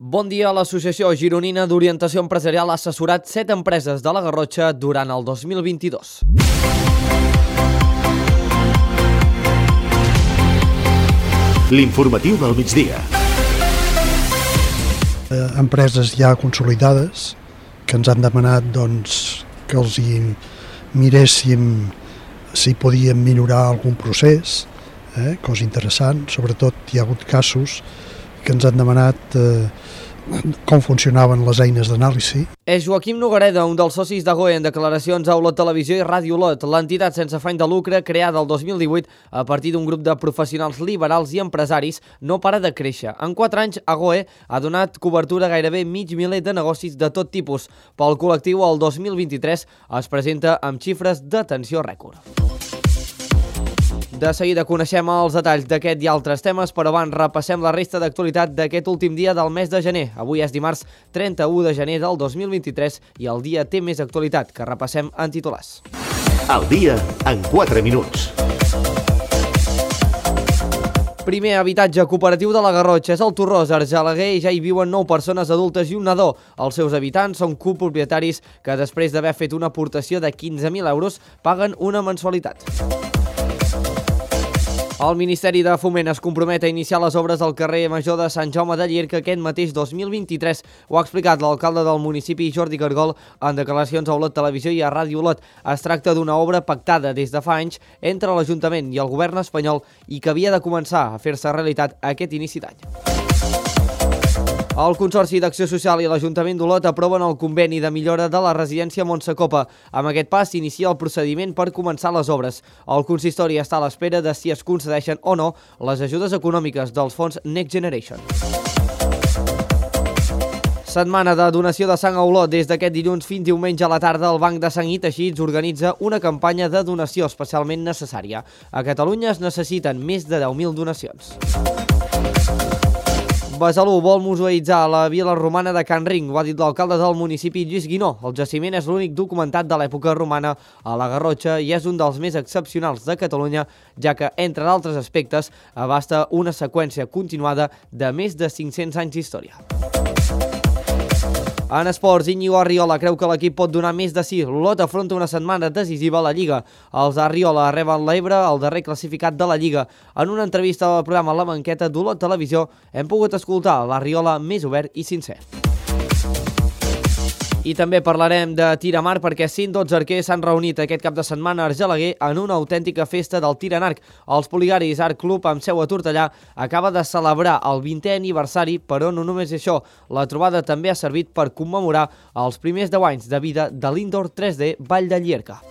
Bon dia. L'Associació Gironina d'Orientació Empresarial ha assessorat 7 empreses de la Garrotxa durant el 2022. L'informatiu del migdia. Empreses ja consolidades que ens han demanat que els hi miréssim si podíem millorar algun procés, cosa interessant. Sobretot hi ha hagut casos que ens han demanat com funcionaven les eines d'anàlisi. És Joaquim Nogareda, un dels socis d'Agoe, en declaracions a Olot Televisió i Ràdio Olot, l'entitat sense afany de lucre creada el 2018 a partir d'un grup de professionals liberals i empresaris, no para de créixer. En 4 anys, Agoe ha donat cobertura a gairebé mig miler de negocis de tot tipus. Pel col·lectiu, el 2023 es presenta amb xifres d'atenció rècord. De seguida coneixem els detalls d'aquest i altres temes, però abans repassem la resta d'actualitat d'aquest últim dia del mes de gener. Avui és dimarts 31 de gener del 2023 i el dia té més actualitat, que repassem en titulars. El dia en 4 minuts. Primer habitatge cooperatiu de la Garrotxa és el Torrós, Argelaguer, i ja hi viuen 9 persones adultes i un nadó. Els seus habitants són copropietaris que després d'haver fet una aportació de 15.000 euros paguen una mensualitat. El Ministeri de Foment es compromet a iniciar les obres al carrer Major de Sant Jaume de Llierca aquest mateix 2023. Ho ha explicat l'alcalde del municipi, Jordi Cargol, en declaracions a Olot Televisió i a Ràdio Olot. Es tracta d'una obra pactada des de fa anys entre l'Ajuntament i el govern espanyol i que havia de començar a fer-se realitat aquest inici d'any. El Consorci d'Acció Social i l'Ajuntament d'Olot aproven el conveni de millora de la residència Montsecopa. Amb aquest pas s'inicia el procediment per començar les obres. El consistori està a l'espera de si es concedeixen o no les ajudes econòmiques dels fons Next Generation. Setmana de donació de sang a Olot. Des d'aquest dilluns fins diumenge a la tarda, el Banc de Sang i Teixits organitza una campanya de donació especialment necessària. A Catalunya es necessiten més de 10.000 donacions. Besalú vol museïtzar la vila romana de Can Ring. Ho ha dit l'alcalde del municipi, Lluís Guinó. El jaciment és l'únic documentat de l'època romana a la Garrotxa i és un dels més excepcionals de Catalunya, ja que, entre d'altres aspectes, abasta una seqüència continuada de més de 500 anys d'història. En esports, Íñigo Arriola creu que l'equip pot donar més de sí. L'Olot afronta una setmana decisiva a la Lliga. Els Arriola reben l'Ebre, el darrer classificat de la Lliga. En una entrevista al programa La Banqueta d'Olot Televisió hem pogut escoltar l'Arriola més obert i sincer. I també parlarem de tir a mar perquè 112 arquers s'han reunit aquest cap de setmana a Argelaguer en una autèntica festa del tir en arc. Els Poligaris Art Club, amb seu a Tortellà, acaba de celebrar el 20è aniversari, però no només això. La trobada també ha servit per commemorar els primers 10 anys de vida de l'Indoor 3D Vall de Llierca.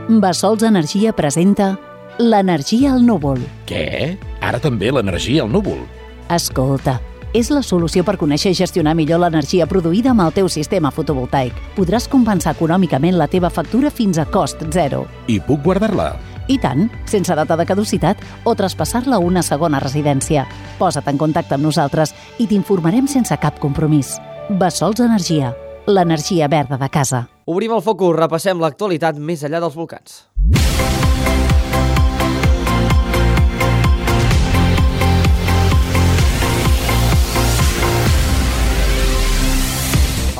Bassols Energia presenta l'energia al núvol. Què? Ara també l'energia al núvol? Escolta, és la solució per conèixer i gestionar millor l'energia produïda amb el teu sistema fotovoltaic. Podràs compensar econòmicament la teva factura fins a cost zero. I puc guardar-la? I tant, sense data de caducitat o traspassar-la a una segona residència. Posa't en contacte amb nosaltres i t'informarem sense cap compromís. Bassols Energia, l'energia verda de casa. Obrim el focus, repassem l'actualitat més enllà dels volcans.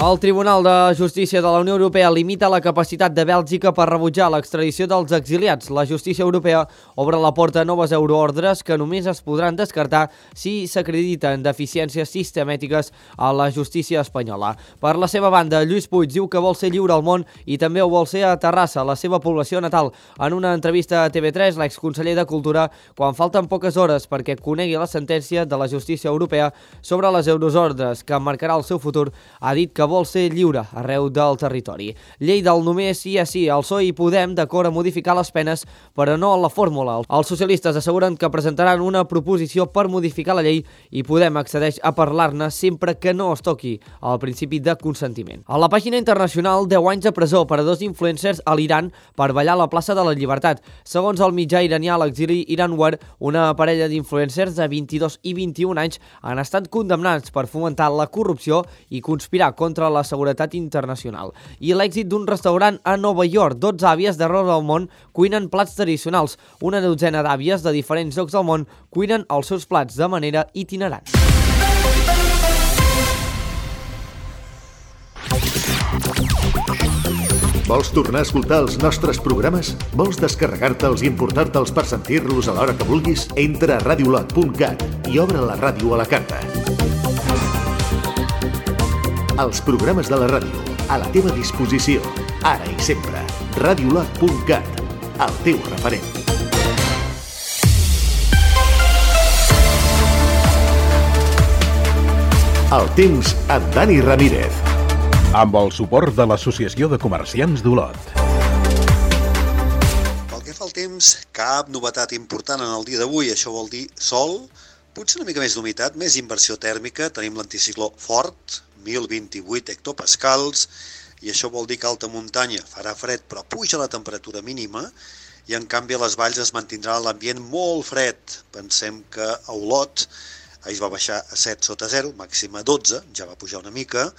El Tribunal de Justícia de la Unió Europea limita la capacitat de Bèlgica per rebutjar l'extradició dels exiliats. La justícia europea obre la porta a noves euroordres que només es podran descartar si s'acrediten deficiències sistemàtiques a la justícia espanyola. Per la seva banda, Lluís Puig diu que vol ser lliure al món i també ho vol ser a Terrassa, la seva població natal. En una entrevista a TV3, l'exconseller de Cultura, quan falten poques hores perquè conegui la sentència de la justícia europea sobre les euroordres que marcarà el seu futur, ha dit que vol ser lliure arreu del territori. Llei del només sí a sí. El PSOE i Podem d'acord a modificar les penes, però no la fórmula. Els socialistes asseguren que presentaran una proposició per modificar la llei i Podem accedeix a parlar-ne sempre que no es toqui el principi de consentiment. A la pàgina internacional, 10 anys de presó per a 2 influencers a l'Iran per ballar a la plaça de la Llibertat. Segons el mitjà iranià, l'exili Iranware, una parella d'influencers de 22 i 21 anys han estat condemnats per fomentar la corrupció i conspirar contra contra la seguretat internacional. I l'èxit d'un restaurant a Nova York. 12 àvies d'arreu del món cuinen plats tradicionals. Una dotzena d'àvies de diferents llocs del món cuinen els seus plats de manera itinerant. Vols tornar a escoltar els nostres programes? Vols descarregar-te'ls i importar-te'ls per sentir-los a l'hora que vulguis? Entra a radiolot.cat i obre la ràdio a la carta. Els programes de la ràdio, a la teva disposició, ara i sempre. Radiolot.cat, el teu referent. El temps amb Dani Ramírez. Amb el suport de l'Associació de Comerciants d'Olot. Pel que fa al temps, cap novetat important en el dia d'avui. Això vol dir sol, potser una mica més d'humitat, més inversió tèrmica. Tenim l'anticicló fort, 1028 hectopascals, i això vol dir que a alta muntanya farà fred, però puja la temperatura mínima, i en canvi a les valls es mantindrà l'ambient molt fred. Pensem que a Olot ahir va baixar a 7 sota 0, màxima 12, ja va pujar una mica.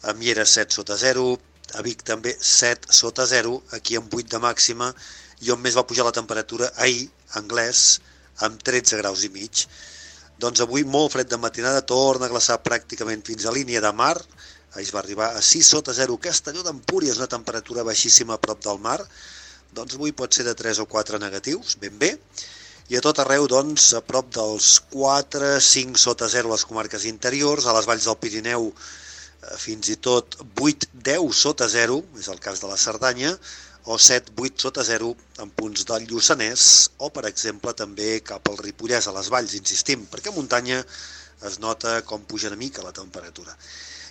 A Miera 7 sota 0, a Vic també 7 sota 0, aquí amb 8 de màxima, i on més va pujar la temperatura ahir, Anglès, amb 13 graus i mig. Doncs avui molt fred de matinada, torna a glaçar pràcticament fins a línia de mar, ahir es va arribar a 6 sota 0, Castelló d'Empúries, una temperatura baixíssima a prop del mar, doncs avui pot ser de 3 o 4 negatius, ben bé, i a tot arreu, doncs, a prop dels 4, 5 sota 0 a les comarques interiors, a les valls del Pirineu, fins i tot 8-10 sota 0, és el cas de la Cerdanya, o 7-8 sota 0 en punts del Lluçanès, o, per exemple, també cap al Ripollès, a les valls, insistim, perquè a muntanya es nota com puja una mica la temperatura.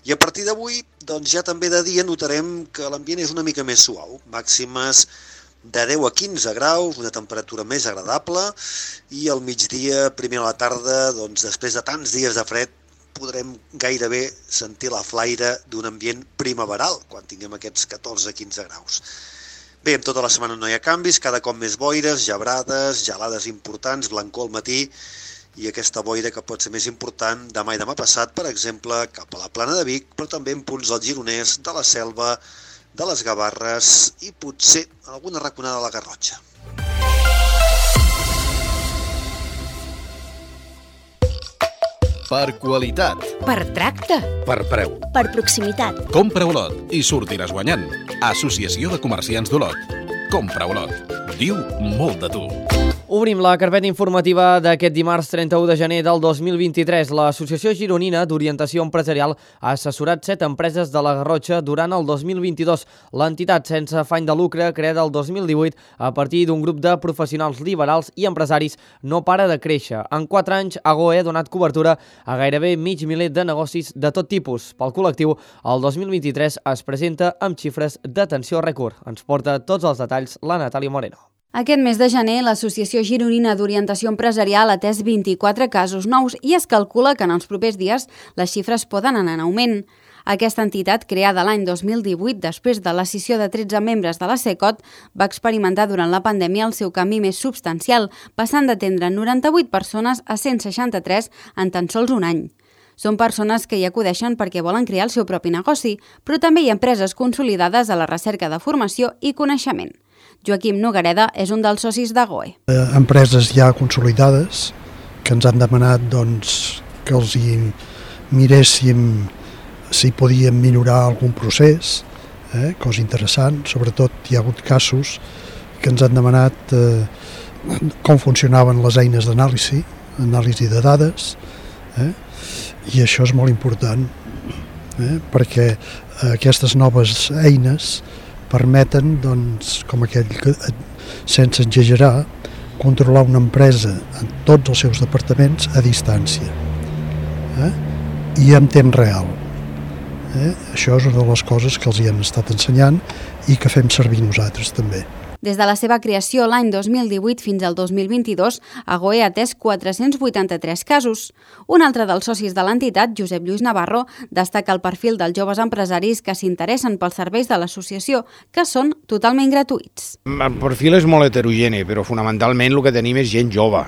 I a partir d'avui, doncs ja també de dia notarem que l'ambient és una mica més suau, màximes de 10 a 15 graus, una temperatura més agradable, i al migdia, primer a la tarda, doncs després de tants dies de fred, podrem gairebé sentir la flaire d'un ambient primaveral, quan tinguem aquests 14-15 graus. Bé, en tota la setmana no hi ha canvis, cada cop més boires, gebrades, gelades importants, blancor al matí, i aquesta boira que pot ser més important demà i demà passat, per exemple, cap a la Plana de Vic, però també en punts del Gironès, de la Selva, de les Gavarres i potser alguna raconada de la Garrotxa. Per qualitat. Per tracte. Per preu. Per proximitat. Compra Olot i sortiràs guanyant. Associació de Comerciants d'Olot. Compra Olot. Diu molt de tu. Obrim la carpeta informativa d'aquest dimarts 31 de gener del 2023. L'Associació Gironina d'Orientació Empresarial ha assessorat 7 empreses de la Garrotxa durant el 2022. L'entitat sense afany de lucre, creada el 2018 a partir d'un grup de professionals liberals i empresaris, no para de créixer. En 4 anys, AGOE ha donat cobertura a gairebé mig miler de negocis de tot tipus. Pel col·lectiu, el 2023 es presenta amb xifres d'atenció rècord. Ens porta tots els detalls la Natàlia Moreno. Aquest mes de gener, l'Associació Gironina d'Orientació Empresarial ha atès 24 casos nous i es calcula que en els propers dies les xifres poden anar en augment. Aquesta entitat, creada l'any 2018 després de l'escissió de 13 membres de la SECOT, va experimentar durant la pandèmia el seu canvi més substancial, passant d'atendre 98 persones a 163 en tan sols un any. Són persones que hi acudeixen perquè volen crear el seu propi negoci, però també hi ha empreses consolidades a la recerca de formació i coneixement. Joaquim Nogareda és un dels socis d'AGOE. Empreses ja consolidades que ens han demanat que els hi miréssim si podíem millorar algun procés, cosa interessant. Sobretot hi ha hagut casos que ens han demanat com funcionaven les eines d'anàlisi de dades, i això és molt important, perquè aquestes noves eines permeten, com aquell que, sense exagerar, controlar una empresa en tots els seus departaments a distància i en temps real. Això és una de les coses que els hi hem estat ensenyant i que fem servir nosaltres també. Des de la seva creació l'any 2018 fins al 2022, AGOE ha atès 483 casos. Un altre dels socis de l'entitat, Josep Lluís Navarro, destaca el perfil dels joves empresaris que s'interessen pels serveis de l'associació, que són totalment gratuïts. El perfil és molt heterogeni, però fonamentalment el que tenim és gent jove.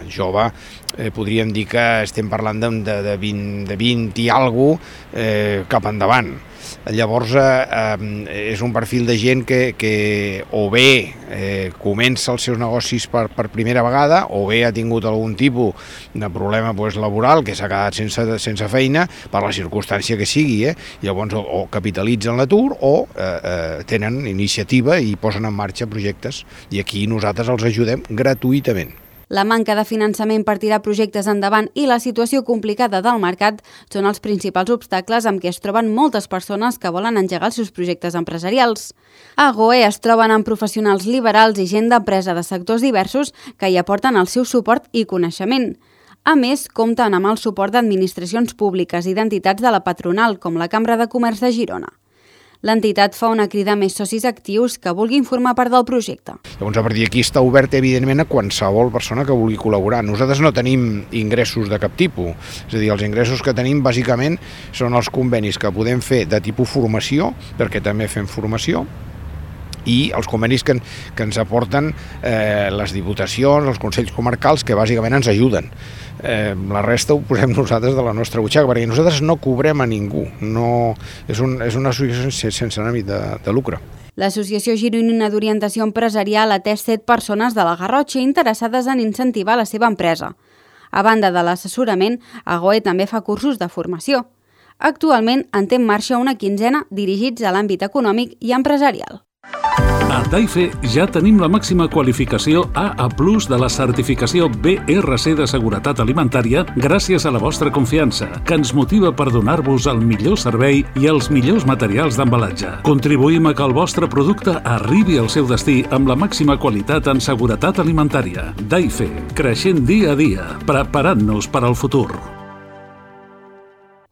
Podríem dir que estem parlant de 20 i alguna cosa cap endavant. Llavors és un perfil de gent que o bé comença els seus negocis per primera vegada o bé ha tingut algun tipus de problema laboral, que s'ha quedat sense feina per la circumstància que sigui, llavors o capitalitzen l'atur o tenen iniciativa i posen en marxa projectes, i aquí nosaltres els ajudem gratuïtament. La manca de finançament per tirar projectes endavant i la situació complicada del mercat són els principals obstacles amb què es troben moltes persones que volen engegar els seus projectes empresarials. A GOE es troben amb professionals liberals i gent d'empresa de sectors diversos que hi aporten el seu suport i coneixement. A més, compten amb el suport d'administracions públiques i d'entitats de la patronal, com la Cambra de Comerç de Girona. L'entitat fa una crida a més socis actius que vulguin formar part del projecte. Llavors, a partir d'aquí està obert, evidentment, a qualsevol persona que vulgui col·laborar. Nosaltres no tenim ingressos de cap tipus, és a dir, els ingressos que tenim, bàsicament, són els convenis que podem fer de tipus formació, perquè també fem formació, i els convenis que ens aporten les diputacions, els consells comarcals, que bàsicament ens ajuden. La resta ho posem nosaltres de la nostra butxaca, perquè nosaltres no cobrem a ningú, és una associació sense ànim de lucre. L'Associació Gironina d'Orientació Empresarial ha atès 7 persones de la Garrotxa interessades en incentivar la seva empresa. A banda de l'assessorament, AGOE també fa cursos de formació. Actualment en té en marxa una 15ena dirigits a l'àmbit econòmic i empresarial. A Daife ja tenim la màxima qualificació AA+ de la certificació BRC de seguretat alimentària gràcies a la vostra confiança, que ens motiva per donar-vos el millor servei i els millors materials d'embalatge. Contribuïm a que el vostre producte arribi al seu destí amb la màxima qualitat en seguretat alimentària. Daife, creixent dia a dia, preparant-nos per al futur.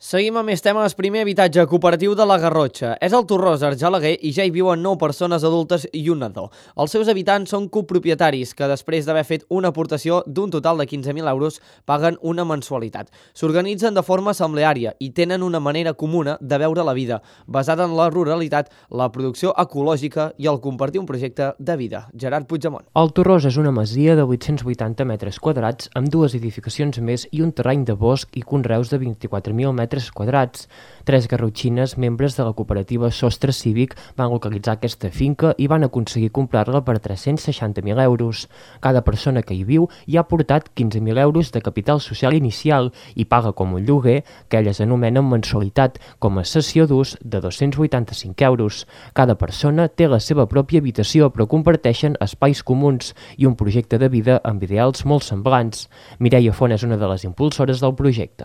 Seguim amb més temes. Primer habitatge cooperatiu de la Garrotxa. És el Torrós, Argelaguer, i ja hi viuen 9 persones adultes i un nadó. Els seus habitants són copropietaris que després d'haver fet una aportació d'un total de 15.000 euros paguen una mensualitat. S'organitzen de forma assembleària i tenen una manera comuna de veure la vida, basada en la ruralitat, la producció ecològica i el compartir un projecte de vida. Gerard Puigdemont. El Torrós és una masia de 880 metres quadrats amb 2 edificacions més i un terreny de bosc i conreus de 24.000 metres quadrats. 3 garrotxines, membres de la cooperativa Sostre Cívic, van localitzar aquesta finca i van aconseguir comprar-la per 360.000 euros. Cada persona que hi viu hi ha aportat 15.000 euros de capital social inicial i paga com un lloguer, que elles anomenen mensualitat, com a cessió d'ús de 285 euros. Cada persona té la seva pròpia habitació, però comparteixen espais comuns i un projecte de vida amb ideals molt semblants. Mireia Font és una de les impulsores del projecte.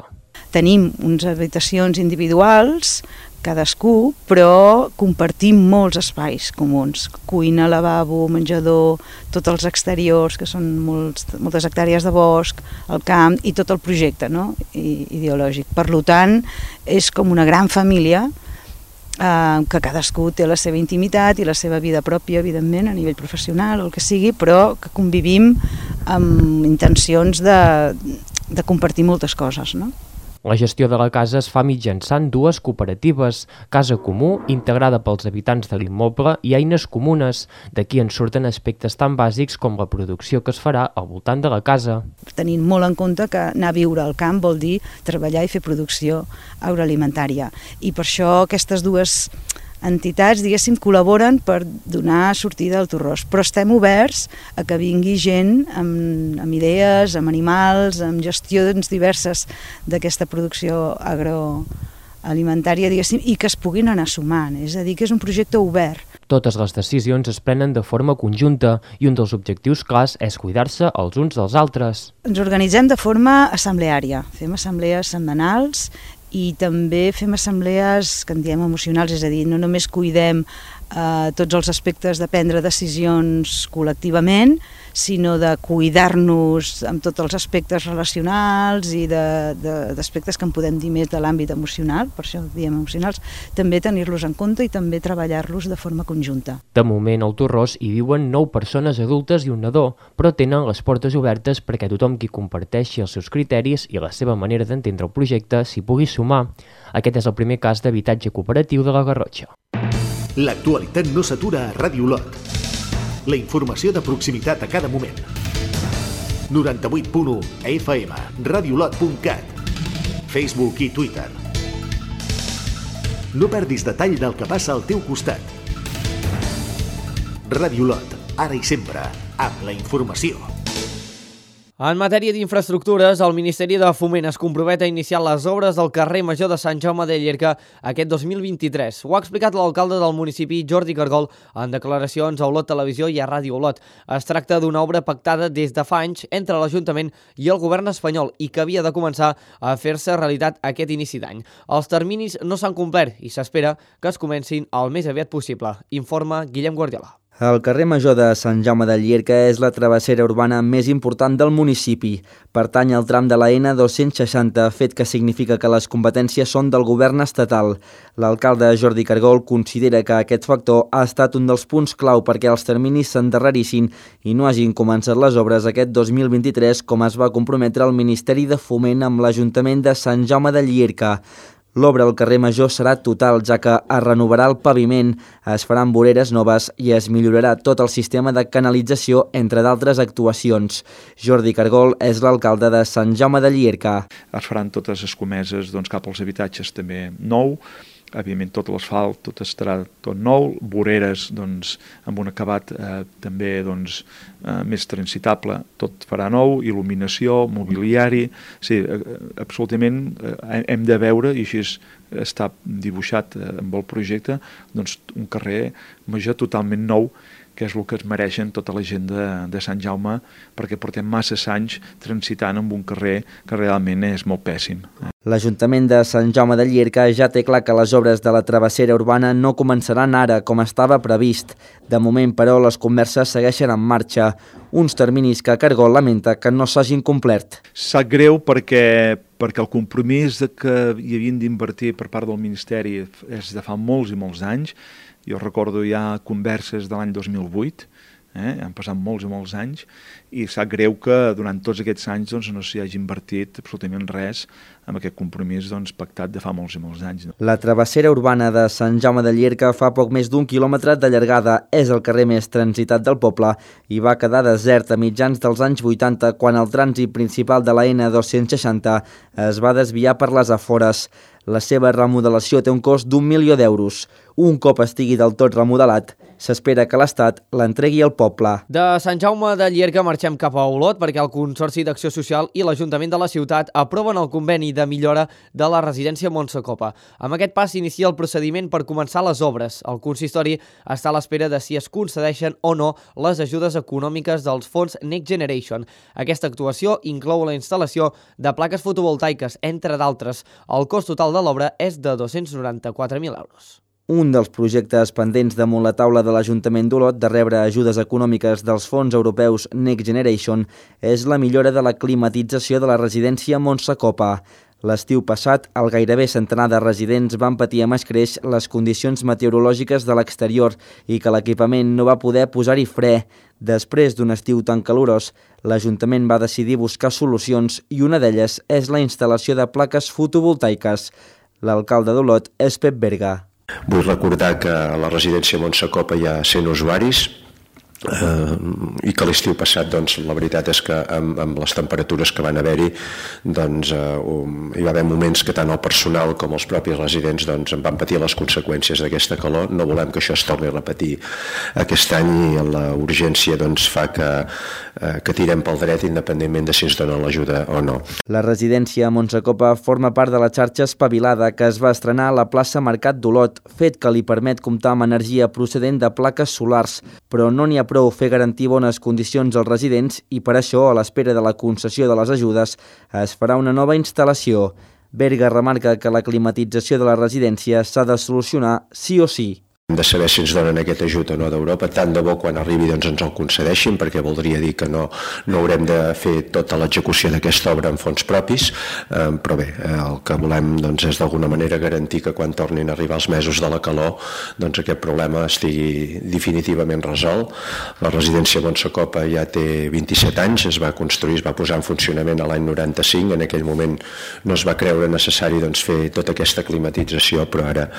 Tenim unes habitacions individuals, cadascú, però compartim molts espais comuns. Cuina, lavabo, menjador, tots els exteriors, que són moltes hectàrees de bosc, el camp i tot el projecte ideològic. Per tant, és com una gran família que cadascú té la seva intimitat i la seva vida pròpia, evidentment, a nivell professional o el que sigui, però que convivim amb intencions de compartir moltes coses, no? La gestió de la casa es fa mitjançant 2 cooperatives, Casa Comú, integrada pels habitants de l'immoble, i eines comunes. D'aquí en surten aspectes tan bàsics com la producció que es farà al voltant de la casa. Tenint molt en compte que anar a viure al camp vol dir treballar i fer producció agroalimentària. I per això aquestes 2 entitats, diguéssim, col·laboren per donar sortida al Torrós, però estem oberts a que vingui gent amb idees, amb animals, amb gestions diverses d'aquesta producció agroalimentària, diguéssim, i que es puguin anar sumant, és a dir, que és un projecte obert. Totes les decisions es prenen de forma conjunta i un dels objectius clars és cuidar-se els uns dels altres. Ens organitzem de forma assembleària, fem assemblees setmanals i també fem assemblees que en diem emocionals, és a dir, no només cuidem tots els aspectes de prendre decisions col·lectivament, sinó de cuidar-nos amb tots els aspectes relacionals i d'aspectes que en podem dir més de l'àmbit emocional, per això diem emocionals, també tenir-los en compte i també treballar-los de forma conjunta. De moment al Torrós hi viuen 9 persones adultes i un nadó, però tenen les portes obertes perquè tothom qui comparteixi els seus criteris i la seva manera d'entendre el projecte s'hi pugui sumar. Aquest és el primer cas d'habitatge cooperatiu de la Garrotxa. L'actualitat no s'atura a Ràdio Olot. La informació de proximitat a cada moment. 98.1 FM, radiolot.cat, Facebook i Twitter. No perdis detall del que passa al teu costat. Ràdio Olot, ara i sempre, amb la informació. En matèria d'infraestructures, el Ministeri de Foment es compromet a iniciar les obres del carrer Major de Sant Jaume de Llierca aquest 2023. Ho ha explicat l'alcalde del municipi, Jordi Cargol, en declaracions a Olot Televisió i a Ràdio Olot. Es tracta d'una obra pactada des de fa anys entre l'Ajuntament i el govern espanyol i que havia de començar a fer-se realitat aquest inici d'any. Els terminis no s'han complert i s'espera que es comencin el més aviat possible, informa Guillem Guardiola. El carrer Major de Sant Jaume de Llierca és la travessera urbana més important del municipi. Pertany al tram de la N260, fet que significa que les competències són del govern estatal. L'alcalde Jordi Cargol considera que aquest factor ha estat un dels punts clau perquè els terminis s'endarrerissin i no hagin començat les obres aquest 2023, com es va comprometre el Ministeri de Foment amb l'Ajuntament de Sant Jaume de Llierca. L'obra al carrer Major serà total, ja que es renovarà el paviment, es faran voreres noves i es millorarà tot el sistema de canalització, entre d'altres actuacions. Jordi Cargol és l'alcalde de Sant Jaume de Llierca. Es faran totes les escomeses cap als habitatges també nou, evidentment tot l'asfalt, tot estarà tot nou, voreres amb un acabat també més transitable, tot farà nou, il·luminació, mobiliari, sí, absolutament hem de veure, i així està dibuixat amb el projecte, un carrer Major totalment nou, que és el que es mereixen tota la gent de Sant Jaume, perquè portem massa anys transitant amb un carrer que realment és molt pèssim. L'Ajuntament de Sant Jaume de Llierca ja té clar que les obres de la travessera urbana no començaran ara, com estava previst. De moment, però, les converses segueixen en marxa. Uns terminis que Cargol lamenta que no s'hagin complert. Sap greu perquè el compromís que hi havien d'invertir per part del Ministeri és de fa molts i molts anys. Jo recordo ja converses de l'any 2008, han passat molts i molts anys, i sap greu que durant tots aquests anys no s'hi hagi invertit absolutament res amb aquest compromís pactat de fa molts i molts anys. La travessera urbana de Sant Jaume de Llierca fa poc més d'1 quilòmetre de llargada, és el carrer més transitat del poble i va quedar desert a mitjans dels anys 80 quan el trànsit principal de la N260 es va desviar per les afores. La seva remodelació té un cost d'1 milió d'euros. Un cop estigui del tot remodelat, s'espera que l'Estat l'entregui al poble. De Sant Jaume de Llierca marxem cap a Olot perquè el Consorci d'Acció Social i l'Ajuntament de la ciutat aproven el conveni de millora de la residència Montsacopa. Amb aquest pas s'inicia el procediment per començar les obres. El consistori està a l'espera de si es concedeixen o no les ajudes econòmiques dels fons Next Generation. Aquesta actuació inclou la instal·lació de plaques fotovoltaiques, entre d'altres. El cost total de l'obra és de 294.000 euros. Un dels projectes pendents damunt la taula de l'Ajuntament d'Olot de rebre ajudes econòmiques dels fons europeus Next Generation és la millora de la climatització de la residència Montsacopa. L'estiu passat, el gairebé centenar de residents van patir amb escreix les condicions meteorològiques de l'exterior i que l'equipament no va poder posar-hi fre. Després d'un estiu tan calorós, l'Ajuntament va decidir buscar solucions i una d'elles és la instal·lació de plaques fotovoltaiques. L'alcalde d'Olot és Pep Berga. Vull recordar que a la residència Montsacopa hi ha 100 usuaris i que l'estiu passat la veritat és que amb les temperatures que van haver-hi hi va haver moments que tant el personal com els propis residents en van patir les conseqüències d'aquesta calor. No volem que això es torni a repetir aquest any i la urgència fa que tirem pel dret independentment de si ens donen l'ajuda o no. La residència Montsacopa forma part de la xarxa Espavilada que es va estrenar a la plaça Mercat d'Olot, fet que li permet comptar amb energia procedent de plaques solars, però no n'hi ha prou fer garantir bones condicions als residents i per això, a l'espera de la concessió de les ajudes, es farà una nova instal·lació. Berga remarca que la climatització de la residència s'ha de solucionar sí o sí. Hem de saber si ens donen aquest ajut o no d'Europa, tant de bo quan arribi ens el concedeixin, perquè voldria dir que no haurem de fer tota l'execució d'aquesta obra en fons propis, però bé, el que volem és d'alguna manera garantir que quan tornin a arribar els mesos de la calor aquest problema estigui definitivament resolt. La residència Montsacopa ja té 27 anys, es va construir, es va posar en funcionament a l'any 95, en aquell moment no es va creure necessari fer tota aquesta climatització, però ara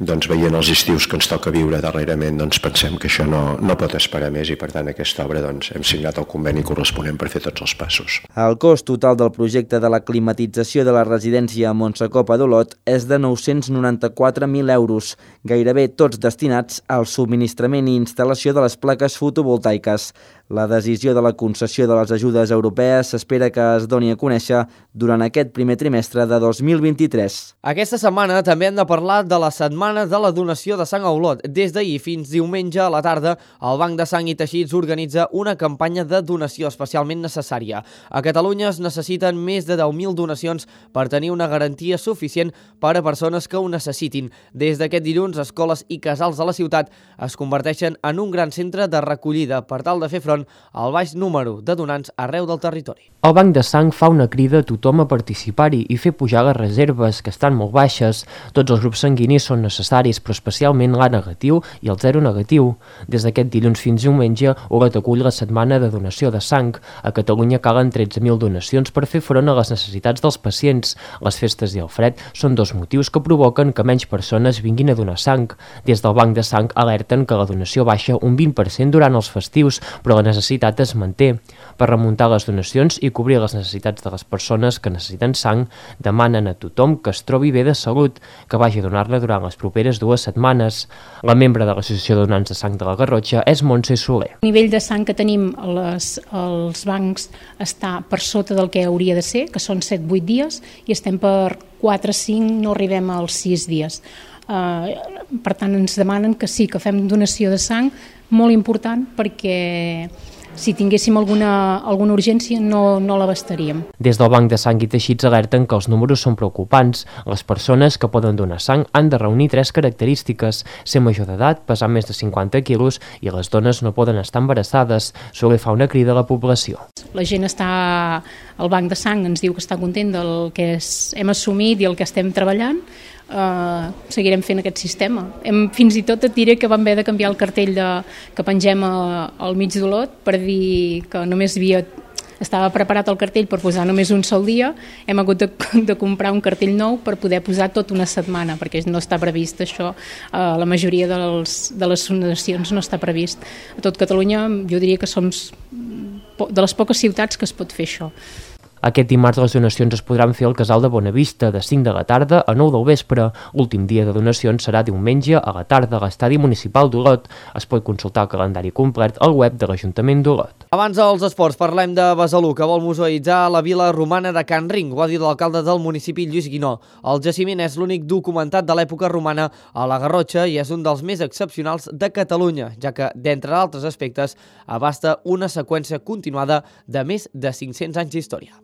veient els estius que ens toca toca viure darrerament, doncs pensem que això no pot esperar més i per tant aquesta obra doncs, hem signat el conveni corresponent per fer tots els passos. El cost total del projecte de la climatització de la residència a Montsecopa d'Olot és de 994.000 euros, gairebé tots destinats al subministrament i instal·lació de les plaques fotovoltaiques. La decisió de la concessió de les ajudes europees s'espera que es doni a conèixer durant aquest primer trimestre de 2023. Aquesta setmana també hem de parlar de la setmana de la donació de sang a Olot. Des d'ahir fins diumenge a la tarda, el Banc de Sang i Teixits organitza una campanya de donació especialment necessària. A Catalunya es necessiten més de 10.000 donacions per tenir una garantia suficient per a persones que ho necessitin. Des d'aquest dilluns, escoles i casals de la ciutat es converteixen en un gran centre de recollida per tal de fer front al baix número de donants arreu del territori. El Banc de Sang fa una crida a tothom a participar-hi i fer pujar les reserves, que estan molt baixes. Tots els grups sanguinis són necessaris, però especialment l'A negatiu i el 0 negatiu. Des d'aquest dilluns fins diumenge, Olot acull la setmana de donació de sang. A Catalunya calen 13.000 donacions per fer front a les necessitats dels pacients. Les festes i el fred són dos motius que provoquen que menys persones vinguin a donar sang. Des del Banc de Sang alerten que la donació baixa un 20% durant els festius, però la necessitat es manté. Per remuntar les donacions i cobrir les necessitats de les persones que necessiten sang, demanen a tothom que es trobi bé de salut, que vagi a donar-la durant les properes 2 setmanes. La membre de l'Associació de Donants de Sang de la Garrotxa és Montse Soler. El nivell de sang que tenim als bancs està per sota del que hauria de ser, que són 7-8 dies, i estem per 4-5, no arribem als 6 dies. Per tant, ens demanen que sí, que fem donació de sang, molt important, perquè si tinguéssim alguna urgència no l'abastaríem. Des del Banc de Sang i Teixits alerten que els números són preocupants. Les persones que poden donar sang han de reunir 3 característiques: ser major d'edat, pesar més de 50 quilos i les dones no poden estar embarassades. Soler fa una crida a la població. La gent està al Banc de Sang, ens diu que està content del que hem assumit i el que estem treballant. Seguirem fent aquest sistema. Fins i tot et diré que vam haver de canviar el cartell que pengem al mig d'Olot per dir que només estava preparat el cartell per posar només un sol dia. Hem hagut de comprar un cartell nou per poder posar tot una setmana, perquè no està previst això. La majoria de les donacions no està previst. A tot Catalunya jo diria que som de les poques ciutats que es pot fer això. Aquest dimarts les donacions es podran fer al Casal de Bonavista de 5 de la tarda a 9 del vespre. L'últim dia de donacions serà diumenge a la tarda a l'Estadi Municipal d'Olot. Es pot consultar el calendari complet al web de l'Ajuntament d'Olot. Abans dels esports parlem de Besalú, que vol museïtzar la vila romana de Can Ring. Ho ha dit l'alcalde del municipi, Lluís Guinó. El jaciment és l'únic documentat de l'època romana a la Garrotxa i és un dels més excepcionals de Catalunya, ja que, d'entre altres aspectes, abasta una seqüència continuada de més de 500 anys d'història.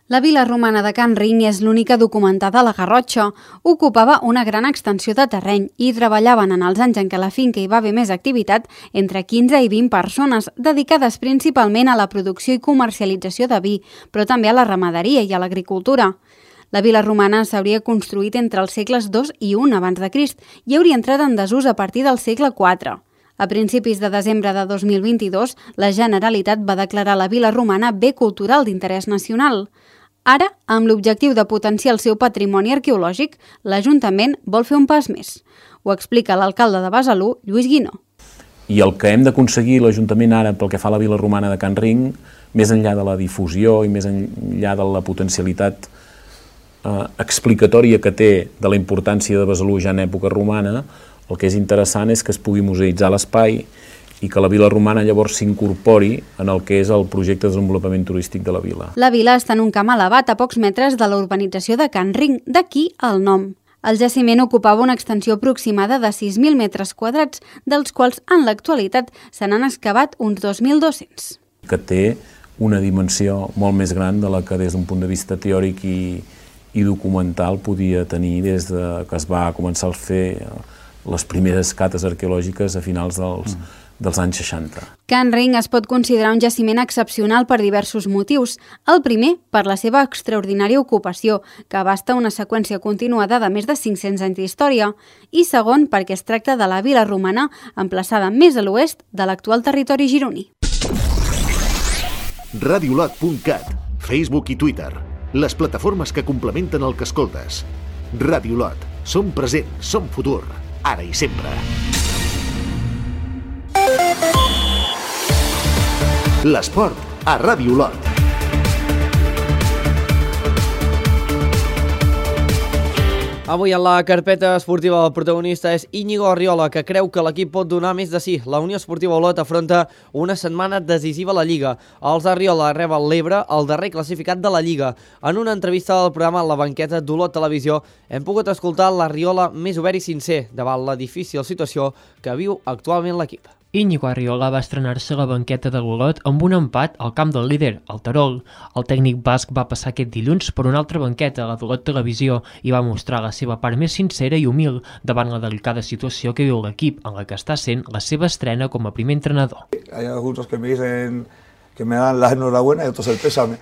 La vila romana de Can Ring és l'única documentada a la Garrotxa. Ocupava una gran extensió de terreny i treballaven en els anys en què a la finca hi va haver més activitat entre 15 i 20 persones, dedicades principalment a la producció i comercialització de vi, però també a la ramaderia i a l'agricultura. La vila romana s'hauria construït entre els segles II i I abans de Crist i hauria entrat en desús a partir del segle IV. A principis de desembre de 2022, la Generalitat va declarar la vila romana bé cultural d'interès nacional. Ara, amb l'objectiu de potenciar el seu patrimoni arqueològic, l'Ajuntament vol fer un pas més. Ho explica l'alcalde de Besalú, Lluís Guinó. I el que hem d'aconseguir l'Ajuntament ara pel que fa a la vila romana de Can Ring, més enllà de la difusió i més enllà de la potencialitat explicatòria que té de la importància de Besalú ja en època romana, el que és interessant és que es pugui museïtzar l'espai i que la vila romana llavors s'incorpori en el que és el projecte de desenvolupament turístic de la vila. La vila està en un camp elevat a pocs metres de la urbanització de Can Ring, d'aquí el nom. El jaciment ocupava una extensió aproximada de 6.000 metres quadrats, dels quals en l'actualitat se n'han excavat uns 2.200. Que té una dimensió molt més gran de la que des d'un punt de vista teòric i documental podia tenir des que es va començar a fer les primeres cates arqueològiques a finals dels anys 60. Can Ring es pot considerar un jaciment excepcional per diversos motius. El primer, per la seva extraordinària ocupació, que abasta una seqüència continuada de més de 500 anys d'història, i segon, perquè es tracta de la vila romana emplaçada més a l'oest de l'actual territori gironí. Radiolot.cat, Facebook i Twitter, les plataformes que complementen el que escoltes. Radiolot, som present, som futur, ara i sempre. L'esport a Ràdio Olot. Avui en la carpeta esportiva el protagonista és Íñigo Arriola, que creu que l'equip pot donar més de sí. La Unió Esportiva Olot afronta una setmana decisiva a la Lliga. Els Arriola reben l'Ebre, el darrer classificat de la Lliga. En una entrevista al programa La Banqueta d'Olot Televisió hem pogut escoltar l'Arriola més obert i sincer davant la difícil situació que viu actualment l'equip. Íñigo Arriola va estrenar-se a la banqueta de l'Olot amb un empat al camp del líder, el Terol. El tècnic basc va passar aquest dilluns per una altra banqueta, la d'Olot Televisió, i va mostrar la seva part més sincera i humil davant la delicada situació que viu l'equip, en la que està sent la seva estrena com a primer entrenador. Hay algunos que me dicen que me dan la enhorabuena y otros el pésame.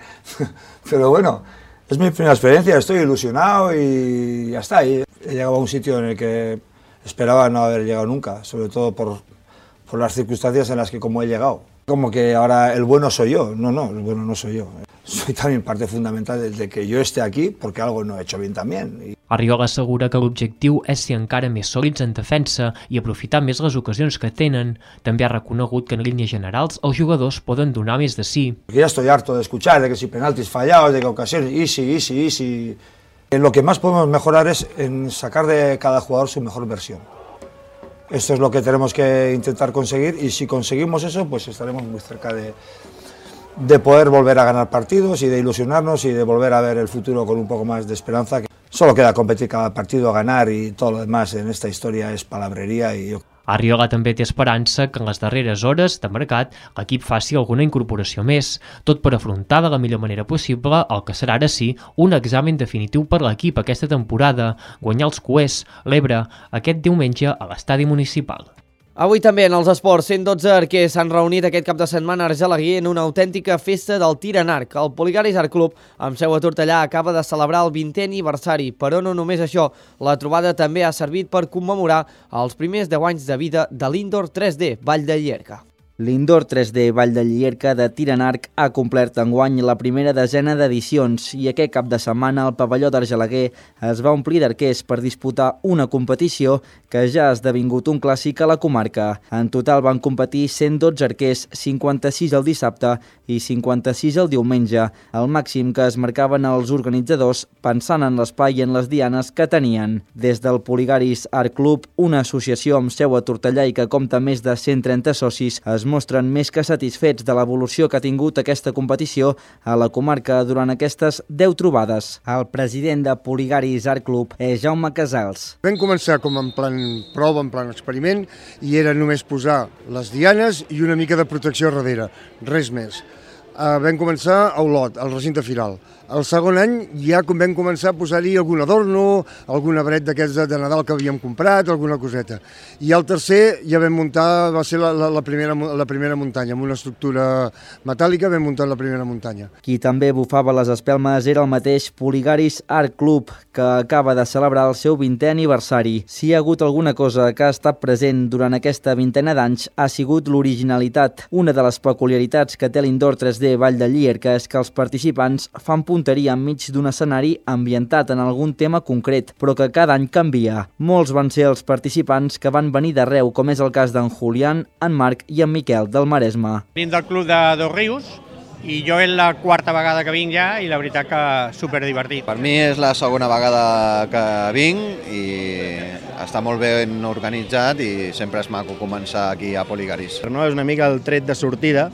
Pero bueno, es mi primera experiencia, estoy ilusionado y ya está. He llegado a un sitio en el que esperaba no haber llegado nunca, sobre todo por las circunstancias en las que como he llegado. Como que ahora el bueno soy yo. No, el bueno no soy yo. Soy también parte fundamental de que yo esté aquí porque algo no he hecho bien también. Arriola assegura que l'objectiu és ser encara més sòlids en defensa i aprofitar més les ocasions que tenen. També ha reconegut que en línies generals els jugadors poden donar més de sí. Porque ya estoy harto de escuchar de que si penaltis fallados, de que ocasiones, easy. Lo que más podemos mejorar es en sacar de cada jugador su mejor versión. Esto es lo que tenemos que intentar conseguir y si conseguimos eso, pues estaremos muy cerca de poder volver a ganar partidos y de ilusionarnos y de volver a ver el futuro con un poco más de esperanza. Solo queda competir cada partido, ganar y todo lo demás en esta historia es palabrería y Arriola també té esperança que en les darreres hores de mercat l'equip faci alguna incorporació més, tot per afrontar de la millor manera possible el que serà ara sí un examen definitiu per l'equip aquesta temporada, guanyar els Cuers, l'Ebre, aquest diumenge a l'estadi municipal. Avui també en els esports, 112 arquers s'han reunit aquest cap de setmana a Argelaguer en una autèntica festa del tir en arc. El Poligaris Art Club, amb seu a Tortellà, acaba de celebrar el 20è aniversari, però no només això. La trobada també ha servit per commemorar els primers 10 anys de vida de l'Indoor 3D Vall de Llierca. L'Indoor 3D Vall de Llierca de tir en arc ha complert enguany la primera desena d'edicions i aquest cap de setmana el pavelló d'Argelaguer es va omplir d'arquers per disputar una competició que ja ha esdevingut un clàssic a la comarca. En total van competir 112 arquers, 56 el dissabte i 56 el diumenge, el màxim que es marcaven els organitzadors pensant en l'espai i en les dianes que tenien. Des del Poligaris Art Club, una associació amb seu a Tortellà i que compta més de 130 socis, es mostren més que satisfets de l'evolució que ha tingut aquesta competició a la comarca durant aquestes 10 trobades. El president de Poligaris Art Club és Jaume Casals. Vam començar com en plan prova, en plan experiment, i era només posar les dianes i una mica de protecció a darrere, res més. Vam començar a Olot, al recinte firal. El segon any ja vam començar a posar-hi algun adorno, algun arbret d'aquests de Nadal que havíem comprat, alguna coseta. I el tercer ja vam muntar, va ser la primera muntanya, amb una estructura metàl·lica vam muntar la primera muntanya. Qui també bufava les espelmes era el mateix Poligaris Art Club, que acaba de celebrar el seu 20è aniversari. Si hi ha hagut alguna cosa que ha estat present durant aquesta vintena d'anys ha sigut l'originalitat. Una de les peculiaritats que té l'Indoor 3D Vall de Llierca és que els participants fan punteria enmig d'un escenari ambientat en algun tema concret, però que cada any canvia. Molts van ser els participants que van venir d'arreu, com és el cas d'en Julián, en Marc i en Miquel del Maresme. Vinc del club de Dos Rius i jo és la quarta vegada que vinc ja i la veritat que superdivertit. Per mi és la segona vegada que vinc i està molt ben organitzat i sempre és maco començar aquí a Poligaris. No, és una mica el tret de sortida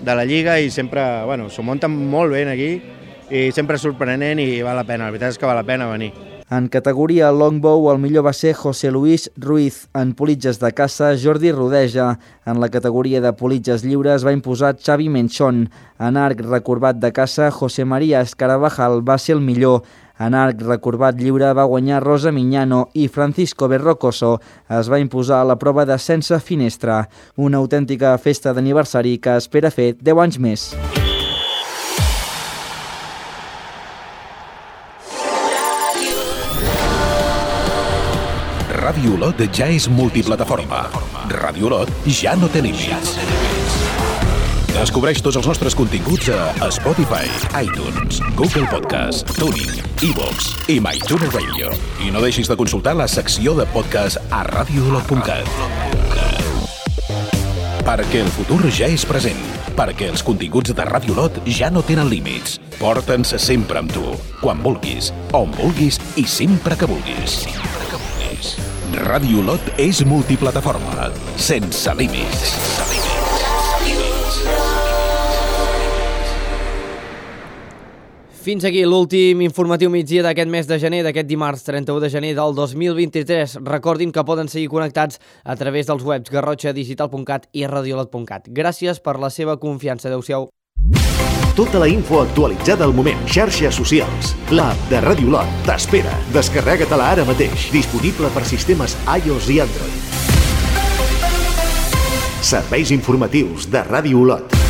de la Lliga i sempre s'ho munten molt bé aquí i sempre és sorprenent i val la pena, la veritat és que val la pena venir. En categoria longbow el millor va ser José Luis Ruiz, en politges de caça Jordi Rodeja, en la categoria de politges lliures va imposar Xavi Menchón, en arc recorbat de caça José María Escarabajal va ser el millor, en arc recorbat lliure va guanyar Rosa Miñano i Francisco Berrocoso es va imposar a la prova de sense finestra, una autèntica festa d'aniversari que espera fer 10 anys més. Ràdio Olot ja és multiplataforma. Ràdio Olot ja no té límits. Descobreix tots els nostres continguts a Spotify, iTunes, Google Podcast, TuneIn, iVoox i MyTuner Radio. I no deixis de consultar la secció de podcast a radioolot.cat. Perquè el futur ja és present. perquè els continguts de Ràdio Olot ja no tenen límits. Porta'ns sempre amb tu, quan vulguis, on vulguis i sempre que vulguis. Ràdio Olot és multiplataforma, sense límits. Fins aquí l'últim informatiu migdia d'aquest mes de gener, d'aquest dimarts 31 de gener del 2023. Recordin que poden seguir connectats a través dels webs garrotxadigital.cat i radiolot.cat. Gràcies per la seva confiança. Adéu-siau. Tota la info actualitzada al moment. Xarxes socials. L'app de Ràdio Olot t'espera. Descarrega-te-la ara mateix. Disponible per sistemes iOS i Android. Serveis informatius de Ràdio Olot.